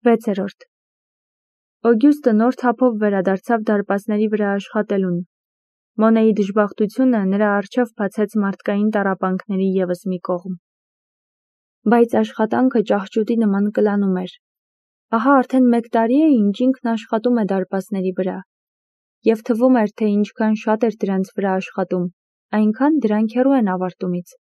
6. Օգյուստը նոր թափով վերադարձավ դարպասների վրա աշխատելուն։ Մոնեի դժբախտությունը նրա առջև բացեց մարդկային տառապանքների ևս մի կողմ։ Բայց աշխատանքը ճահճուտի նման կլանում էր։ Ահա արդեն 1 տարի է, ինչ ինքն աշխատում է դարպասների վրա, և թվում էր, թե ինչքան շատ էր դրանց վրա աշխատում, այնքան դրանք հեռու են ավարտումից։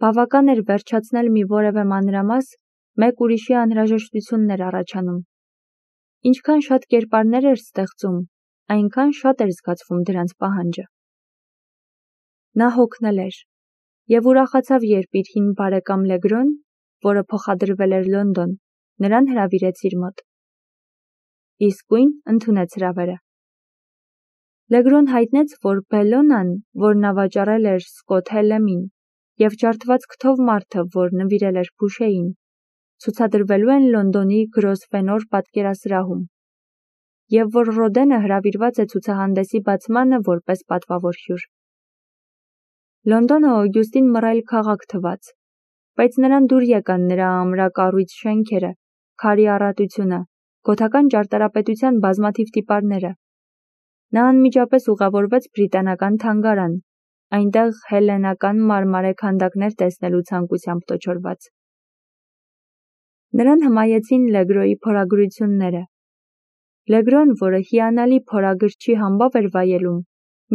Բավական էր վերջացնել մի որևէ մանրամաս, մեկ ուրիշի անհրաժեշտությունն էր առաջանում։ Ինչքան շատ կերպարներ էր ստեղծում, այնքան շատ էր զգացվում դրանց պահանջը։ Նա հոգնել էր և ուրախացավ, երբ իր հին բարեկամ Լեգրոն, որը փոխադրվել էր Լոնդոն, նրան հրավիրեց իր մոտ։ Իսկույն ընդունեց հրավերը։ Լեգրոն հայտնեց, որ Բելլոնան, որն ավաճառել էր Սկոթ Հելեմին, և ջարդված քթով մարդը, որ նվիրել էր Փուշեին, ցուցադրվելու են Լոնդոնի Գրոսվենոր պատկերասրահում, և որ Ռոդենը հրավիրված է ցուցահանդեսի բացմանը որպես պատվավոր հյուր։ Լոնդոնը Օգյուստին մռայլ քաղաք թվաց, բայց նրան դուր եկան նրա ամրակառույց շենքերը, քարի առատությունը, գոթական ճարտարապետության բազմաթիվ տիպարները։ Նա անմիջապես ուղևորվեց բրիտանական թանգարան, այնտեղ հելլենական մարմարե քանդակներ տեսնելու ցանկությամբ տոչորված։ Նրան հմայեցին Լեգրոյի փորագրությունները։ Լեգրոն, որը հիանալի փորագրչի համբավ էր վայելում,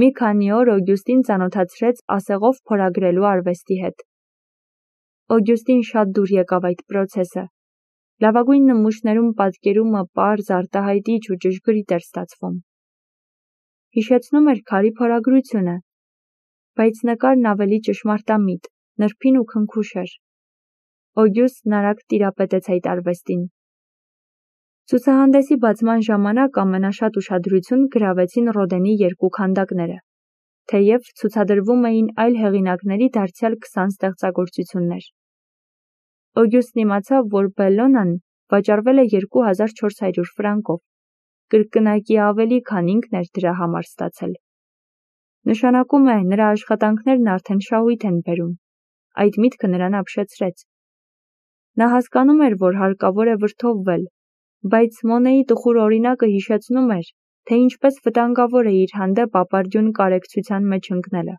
մի քանի օր Օգյուստին ծանոթացրեց ասեղով փորագրելու արվեստի հետ։ Օգյուստին շատ դուր եկավ այդ պրոցեսը։ Լավագույն նմուշներում պատկերումը պարզ, արտահայտիչ ու ճշգրիտ էր ստացվում։ Հիշեցնում էր քարի փորագրությունը, բայց նկարն ավելի ճշմարտամիտ, նրբին ու քնքուշ էր։ Օգյուստն արագ տիրապետեց այդ արվեստին։ Ցուցահանդեսի բացման ժամանակ ամենաշատ ուշադրություն գրավեցին Ռոդենի 2 քանդակները, թեև ցուցադրվում էին այլ հեղինակների դարձյալ 20 ստեղծագործություններ։ Օգյուստն իմացավ, որ Բելլոնան վաճառվել է 2400 ֆրանկով, կրկնակի ավելի, քան ինքն էր դրա համար ստացել։ Նշանակում է, նրա աշխատանքներն արդեն շահույթ են բերում։ Այդ միտքը նրան ապշեցրեց։ Նա հասկանում էր, որ հարկավոր է վրդովվել, բայց Մոնեի տխուր օրինակը հիշեցնում էր, թե ինչպես վտանգավոր է իր հանդեպ ապարդյուն կարեկցության մեջ ընկնելը։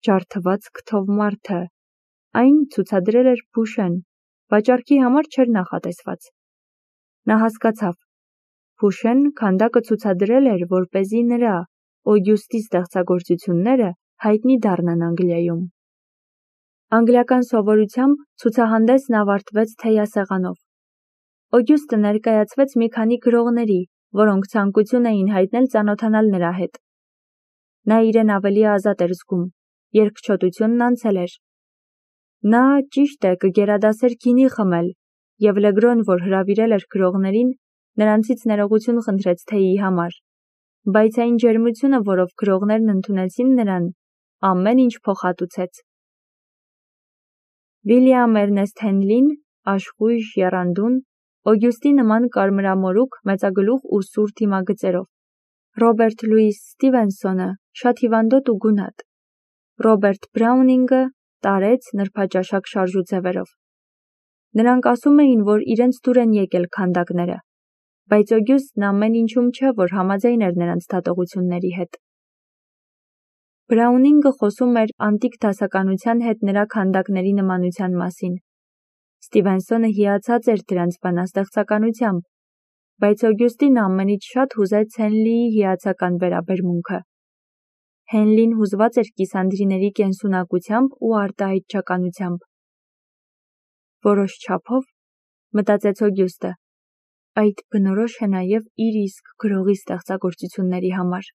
Ջարդված քթով մարդը, այն ցուցադրել էր Փուշեն, վաճառքի համար չէր նախատեսված։ Նա հասկացավ. Փուշեն քանդակը ցուցադրել էր, որպեսզի նրա, Օգյուստի ստեղծագործությունները հայտնի դառնան Անգլիայում։ Անգլիական սովորությամբ ցուցահանդեսն ավարտվեց թեյասեղանով։ Օգյուստը ներկայացվեց մի քանի գրողների, որոնք ցանկություն էին հայտնել ծանոթանալ նրա հետ։ Նա իրեն ավելի ազատ էր զգում, երկչոտությունն անցել էր։ Նա, ճիշտ է, կգերադասեր գինի խմել, և Լեգրոն, որ հրավիրել էր գրողներին, նրանցից ներողություն խնդրեց թեյի համար, բայց այն ջերմությունը, որով գրողներն ընդունեցին նրան, ամեն ինչ փոխհատուցեց։ Վիլյամ Էրնեստ Հենլին, աշխույժ, եռանդուն, Օգյուստի նման կարմրամորուք, մեծագլուխ ու սուր դիմագծերով։ Ռոբերտ Լուիս Ստիվենսոնը շատ հիվանդոտ ու գունատ։ Ռոբերտ Բրաունինգը տարեց նրբաճաշակ շարժուձևերով։ Նրանք ասում էին, որ իրենց դուր են եկել քանդակները, բայց Օգյուստն ամեն ինչում չէ, որ համաձայն էր նրանց դատողությունների հետ։ Բրաունինգը խոսում էր անտիկ դասականության հետ նրա քանդակների նմանության մասին։ Ստիվենսոնը հիացած էր դրանց բանաստեղծականությամբ, բայց Օգյուստին ամենից շատ հուզեց Հենլիի հիացական վերաբերմունքը։ Հենլին հուզված էր կիսանդրիների կենսունակությամբ ու արտահայտչականությամբ։ Որոշ չափով, մտածեց Օգյուստը, այդ բնորոշ է նաև իր իսկ գրողի ստեղծագործությունների համար։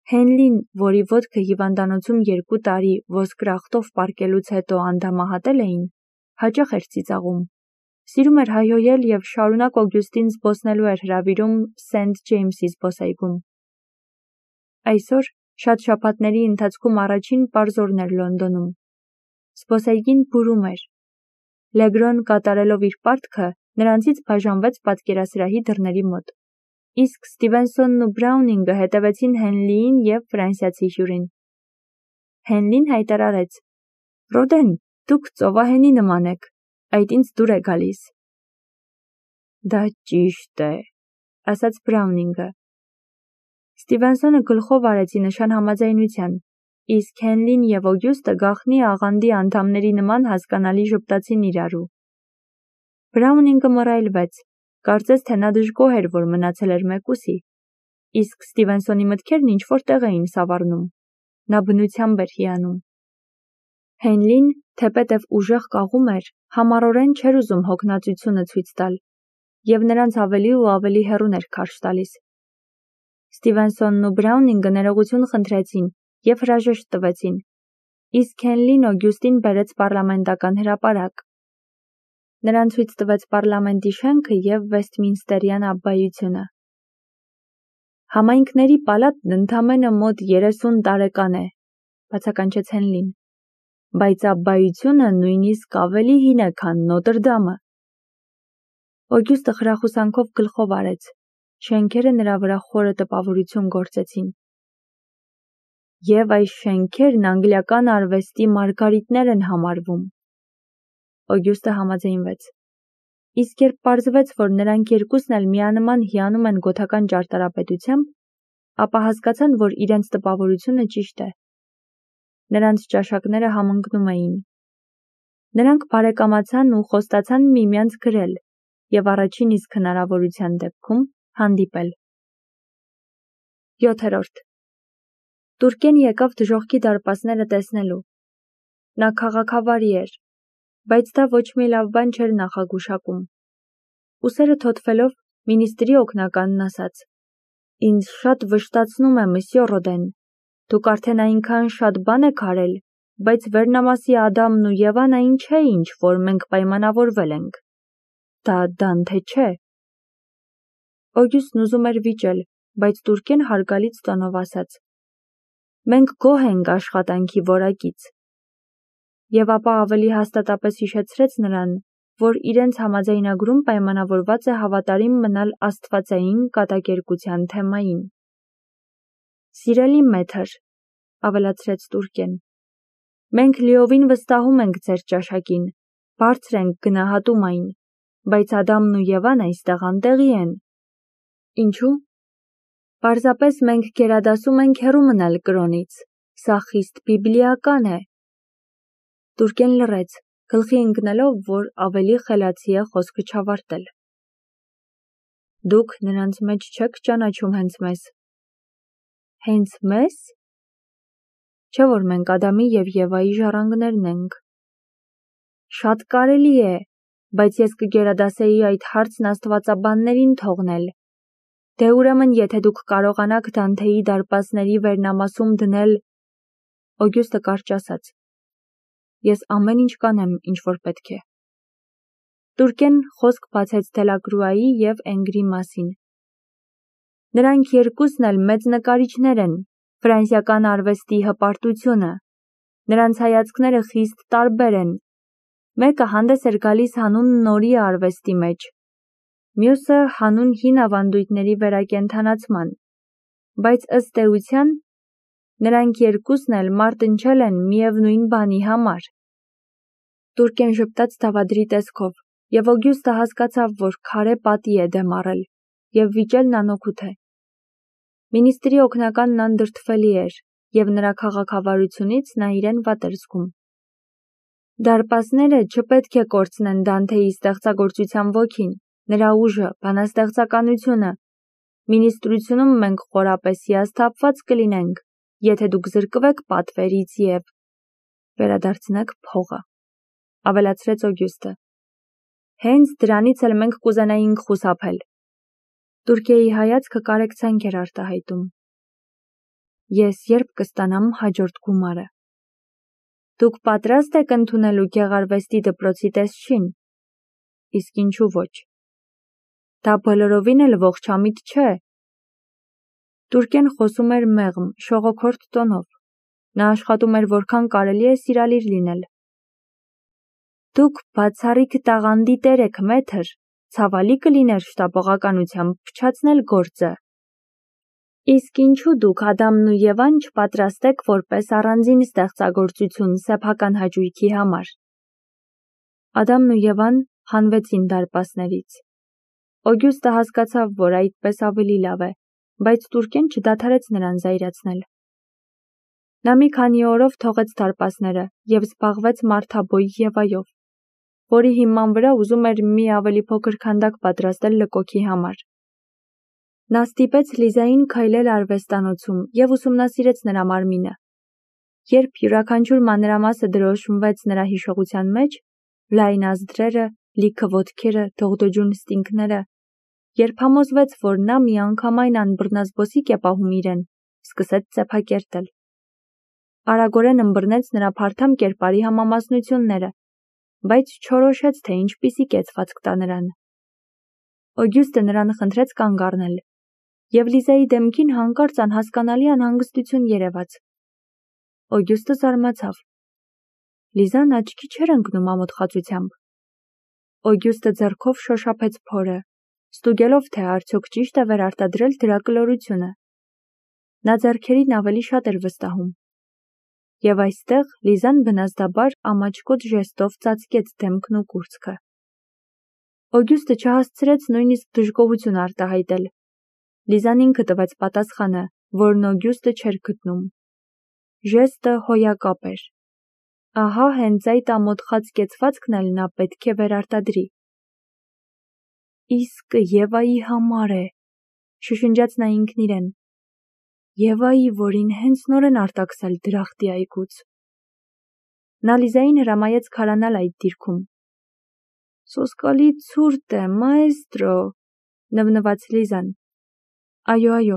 Հենլին, որի ոտքը հիվանդանոցում 2 տարի ոսկրախտով պառկելուց հետո անդամահատել էին, հաճախ էր ծիծաղում։ Սիրում էր հայհոյել և շարունակ Օգյուստին զբոսնելու էր հրավիրում Սենթ Ջեյմսի զբոսայգում։ Այսօր շատ շաբաթների ընթացքում առաջին պարզ օրն էր Լոնդոնում։ Զբոսայգին բուրում էր։ Լեգրոն կատարելով իր պարտքը նրանցից բաժանվեց պատկերասրահի դռների մոտ, իսկ Ստիվենսոնն ու Բրաունինգը հետևեցին Հենլիին և ֆրանսիացի հյուրին։ Հենլին հայտարարեց. «Ռոդեն, դուք ծովահենի նման եք, այդ ինձ դուր է գալիս։ Դա ճիշտ է, ասաց Բրաունինգը։ Ստիվենսոնը գլխով արեց ի նշան համաձայնության, իսկ Հենլին և Օգյուստը գաղտնի աղանդի անդամների նման հասկանալի ժպտացին իրարու։ Բրաունինգը մռայլվեց, կարծես թե նա դժգոհ էր, որ մնացել էր մեկուսի, իսկ Ստիվենսոնի մտքերն ինչ-որ տեղ էին սավառնում, նա բնությամբ էր հիանում։ Հենլին, թեպետև ուժեղ կաղում էր, համառորեն չէր ուզում հոգնածությունը ցույց տալ, և նրանց ավելի ու ավելի հեռուն էր քարշ տալիս։ Ստիվենսոնն ու Բրաունինգը ներողություն խնդրեցին և հրաժեշտ տվեցին, իսկ Հենլին Օգյուստին բերեց պառլամենտական հրապարակ։ Նրան ցույց տվեց պառլամենտի շենքը և Վեսթմինստերյան աբբայությունը։ Համայնքների պալատն ընդամենը մոտ 30 տարեկան է, բացականչեց Հենլին, բայց աբբայությունը նույնիսկ ավելի հին է, քան Նոտրդամը։ Օգյուստը խրախուսանքով գլխով արեց, շենքերը նրա վրա խորը տպավորություն գործեցին։ Եվ այս շենքերն անգլիական արվեստի մարգարիտներ են համարվում։ Օգյուստը համաձայնվեց։ Իսկ երբ պարզվեց, որ նրանք երկուսն էլ միանման հիանում են գոթական ճարտարապետությամբ, ապա հասկացան, որ իրենց տպավորությունը ճիշտ է։ Նրանց ճաշակները համընկնում էին։ Նրանք բարեկամացան ու խոստացան միմյանց գրել և առաջին իսկ հնարավորության դեպքում հանդիպել։ 7. Տուրկեն եկավ դժոխքի դարպասները տեսնելու։ Նա քաղաքավարի էր, բայց դա ոչ մի լավ բան չէր նախագուշակում։ Ուսերը թոթվելով, մինիստրի օգնականն ասաց. «Ինձ շատ վշտացնում է, մսյո Ռոդեն, դուք արդեն այնքան շատ բան եք արել, բայց վերնամասի Ադամն ու Եվան այն չէ, ինչ որ մենք պայմանավորվել ենք։ Դա Դանթե չէ»։ Օգյուստն ուզում էր վիճել, բայց Տուրկեն հարգալից տոնով ասաց. «Մենք գոհ ենք աշխատանքի որակից»։ Եվ ապա ավելի հաստատապես հիշեցրեց նրան, որ իրենց համաձայնագրում պայմանավորված է հավատարիմ մնալ աստվածային կատակերգության թեմային։ «Սիրելի մեթր», ավելացրեց Տուրկեն, մենք լիովին վստահում ենք ձեր ճաշակին, բարձր ենք գնահատում այն, բայց Ադամն ու Եվան այստեղ անտեղի են։ Ինչու՞։ Պարզապես մենք գերադասում ենք հեռու մնալ կրոնից, սա խիստ բիբլիական է։ Տուրկեն լռեց, գլխի ընկնելով, որ ավելի խելացի է խոսքը չավարտել։ Դուք նրանց մեջ չեք ճանաչում հենց մեզ։ Հենց մեզ։ Չէ՞ որ մենք Ադամի և Եվայի ժառանգներն ենք։ Շատ կարելի է, բայց ես կգերադասեի այդ հարցն աստվածաբաններին թողնել։ Դե ուրեմն, եթե դուք կարողանաք Դանթեի դարպասների վերնամասում դնել… Օգյուստը կարճ ասաց. Ես ամեն ինչ կանեմ, ինչ որ պետք է։ Տուրկեն խոսք բացեց Դելակրուայի և Էնգրի մասին։ Նրանք երկուսն էլ մեծ նկարիչներ են, ֆրանսիական արվեստի հպարտությունը։ Նրանց հայացքները խիստ տարբեր են։ Մեկը հանդես էր գալիս հանուն նորի արվեստի մեջ, մյուսը հանուն հին ավանդույթների վերակենդանացման, բայց ըստ էության նրանք երկուսն էլ մարտնչել են միևնույն բանի համար։ Տուրկեն ժպտաց դավադրի տեսքով, և Օգյուստը հասկացավ, որ քարե պատի է դեմ առել, և վիճելն անօգուտ է։ Մինիստրի օգնականն անդրդվելի էր, և նրա քաղաքավարությունից նա իրեն վատ էր զգում։ Դարպասները չպետք է կորցնեն Դանթեի ստեղծագործության ոգին, նրա ուժը, բանաստեղծականությունը։ Մինիստրությունում մենք խորապես հիասթափված կլինենք, եթե դուք զրկվեք պատվերից և վերադարձնեք փողը, ավելացրեց Օգյուստը։ Հենց դրանից էլ մենք կուզենայինք խուսափել։ Տուրկիայի հայացքը կարեկցանք էր արտահայտում։ Ես երբ կստանամ հաջորդ գումարը։ Դուք պատրաստ եք ընդունելու գեղարվեստի դպրոցի տեսչին։ Իսկ ինչու ոչ։ Դա բոլորովին էլ ողջամիտ չէ։ Տուրկեն խոսում էր մեղմ, շողոքորթ տոնով։ Նա աշխատում էր որքան կարելի է սիրալիր լինել։ Դուք բացառիկ տաղանդի տեր եք, մեթր, ցավալի կլիներ շտապողականությամբ փչացնել գործը։ Իսկ ինչու դուք Ադամն ու Եվան չպատրաստեք որպես առանձին ստեղծագործություն սեփական հաճույքի համար։ Ադամն ու Եվան հանվեցին դարպասներից։ Օգյուստը հասկացավ, որ այդպես ավելի լավ է, բայց Տուրկեն չդադարեց նրան զայրացնել։ Նա մի քանի օրով թողեց դարպասները և զբաղվեց մարդաբույ Եվայով, որի հիման վրա ուզում էր մի ավելի փոքր քանդակ պատրաստել լկոքի համար։ Նա ստիպեց Լիզային քայլել արվեստանոցում և ուսումնասիրեց նրա մարմինը։ Երբ յուրաքանչյուր մանրամասը դրոշմվեց նրա հիշողության մեջ, լայն ազդրերը, լիքը ոտքերը, դողդոջուն ստինգները, երբ համոզվեց, որ նա միանգամայն անբռնազբոսիկ է պահում իրեն, սկսեց ծեփակերտել։ Արագորեն ըմբռնեց նրա փարթամ կերպարի համամասնությունները, բայց չորոշեց, թե ինչպիսի կեցվածք տա նրան։ Օգյուստը նրան խնդրեց կանգ առնել, և Լիզայի դեմքին հանկարծ անհասկանալի անհանգստություն երևաց։ Օգյուստը զարմացավ։ Լիզան աչքի չէր ընկնում ամոթխածությամբ։ Օգյուստը ձեռքով շոշափեց փորը, ստուգելով, թե արդյոք ճիշտ է վերարտադրել դրա կլորությունը։ Նա ձեռքերին ավելի շատ էր վստահում։ Եվ այստեղ Լիզան բնազդաբար ամաչկոտ ժեստով ծածկեց դեմքն ու կուրծքը։ Օգյուստը չհասցրեց նույնիսկ դժգոհություն արտահայտել։ Լիզան ինքը տվեց պատասխանը, որն Օգյուստը չէր գտնում։ Ժեստը հոյակապ էր։ Ահա հենց այդ ամոթխած կեցվածքն էլ նա պետք է վերարտադրի։ Իսկ Եվայի համար է, շշնջաց նա ինքն իրեն։ Եվայի, որին հենց նոր են արտաքսել դրախտի այգուց։ Նա Լիզային հրամայեց քարանալ այդ դիրքում։ Սոսկալի ցուրտ է, մաեստրո, նվնվաց Լիզան։ Այո,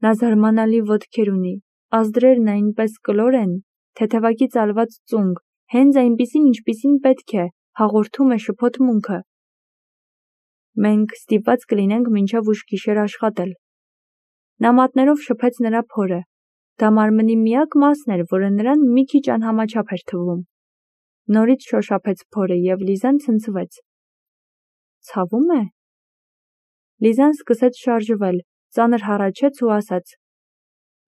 նա զարմանալի ոտքեր ունի, ազդրերն այնպես կլոր են, թեթևակի ծալված ծունկ, հենց այնպիսին, ինչպիսին պետք է, հաղորդում է շփոթմունքը։ Մենք ստիպված կլինենք մինչև ուշ գիշեր աշխատել։ Նա մատներով շփեց նրա փորը։ Դա մարմնի միակ մասն էր, որը նրան մի քիչ անհամաչափ էր թվում։ Նորից շոշափեց փորը և Լիզան ցնցվեց։ Ցավում է։ Լիզան սկսեց շարժվել, ծանր հառաչեց ու ասաց.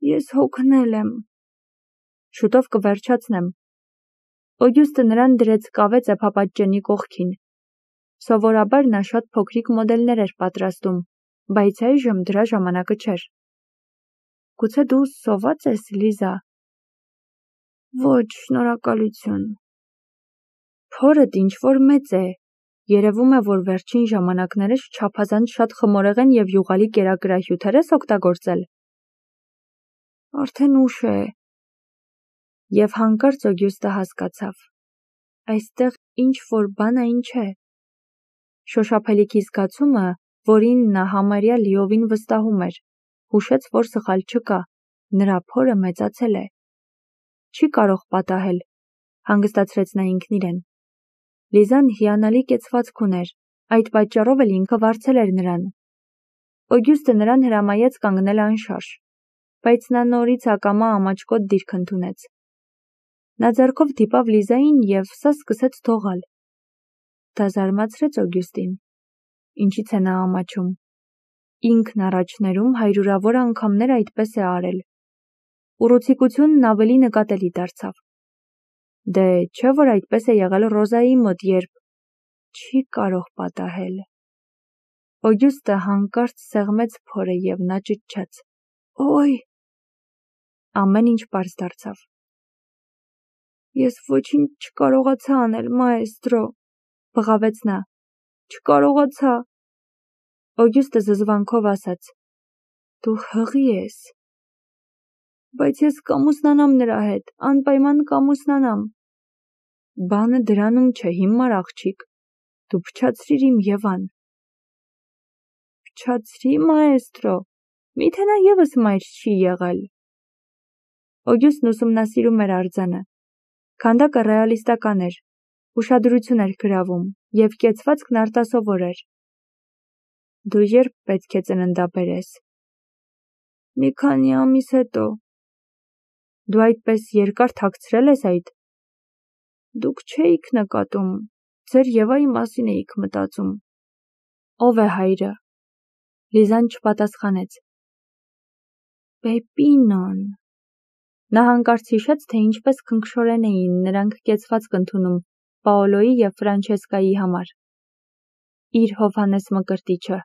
Ես հոգնել եմ։ Շուտով կվերջացնեմ։ Օգյուստը նրան դրեց կավե ծեփապատճենի կողքին։ Սովորաբար նա շատ փոքրիկ մոդելներ էր պատրաստում, բայց այժմ դրա ժամանակը չէր։ Գուցե դու սոված ես, Լիզա։ Ոչ, շնորհակալություն։ Փորդ ինչ-որ մեծ է։ Երևում է, որ վերջին ժամանակներս չափազանց շատ խմորեղեն և յուղալի կերակրահյութեր ես օգտագործել։ Արդեն ուշ է։ Եվ հանկարծ Օգյուստը հասկացավ։ Այստեղ ինչ-որ բան այն չէ։ Շոշափելիքի զգացումը, որին նա համարյա լիովին վստահում էր, հուշեց, որ սխալ չկա, նրա փորը մեծացել է։ Չի կարող պատահել, հանգստացրեց նա ինքն իրեն։ Լիզան հիանալի կեցվածք ուներ, այդ պատճառով էլ ինքը վարձել էր նրան։ Օգյուստը նրան հրամայեց կանգնել անշարժ, բայց նա նորից ակամա ամաչկոտ դիրք ընդունեց։ Նա ձեռքով դիպավ Լիզային և սա սկսեց դողալ։ Դա զարմացրեց Օգյուստին։ Ինչից է նա ամաչում։ Ինքն առաջներում հարյուրավոր անգամներ այդպես է արել։ Ուռուցիկությունն ավելի նկատելի դարձավ։ Դե չէ՞ որ այդպես է եղել Ռոզայի մոտ, երբ չի կարող պատահել։ Օգյուստը հանկարծ սեղմեց փորը և նա ճչաց. Օй։ Ամեն ինչ պարզ դարձավ։ Ես ոչինչ չկարողացա անել, մաեստրո, բղավեց նա։ Չկարողացա։ Օգյուստը զզվանքով ասաց. Դու հղի ես։ Բայց ես կամուսնանամ նրա հետ, անպայման կամուսնանամ։ Բանը դրանում չէ, հիմար աղջիկ։ Դու փչացրիր իմ Եվան։ Փչացրի, մաեստրո, միթե նա ևս մայր չի եղել։ Օգյուստն ուսումնասիրում էր արձանը։ Քանդակը ռեալիստական էր, ուշադրություն էր գրավում և կեցվածքն արտասովոր էր։ Դու երբ պետք է ծննդաբերես։ Մի քանի ամիս հետո։ Դու այդպես երկար թաքցրել ես այդ։ Դուք չէիք նկատում, ձեր Եվայի մասին էիք մտածում։ Ո՞վ է հայրը։ Լիզան չպատասխանեց։ Պեպինոն։ Նա հանկարծ հիշեց, թե ինչպես քնքշորեն էին նրանք կեցվածք ընդունում, Պաոլոյի և Ֆրանչեսկայի համար։ Իր Հովհաննես Մկրտիչը։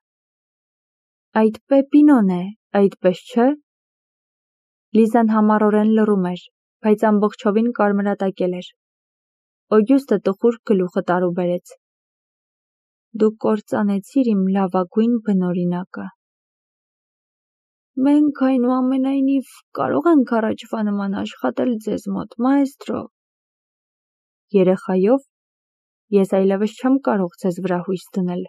Այդ Պեպինոն է, այդպես չէ՞։ Լիզան համառորեն լռում էր, բայց ամբողջովին կարմրատակել էր։ Օգյուստը տխուր գլուխը տարուբերեց։ Դու կործանեցիր իմ լավագույն բնօրինակը։ Մենք այնուամենայնիվ կարող ենք առաջվա նման աշխատել ձեզ մոտ, մաեստրո։ Երեխայով ես այլևս չեմ կարող ձեզ վրա հույս դնել։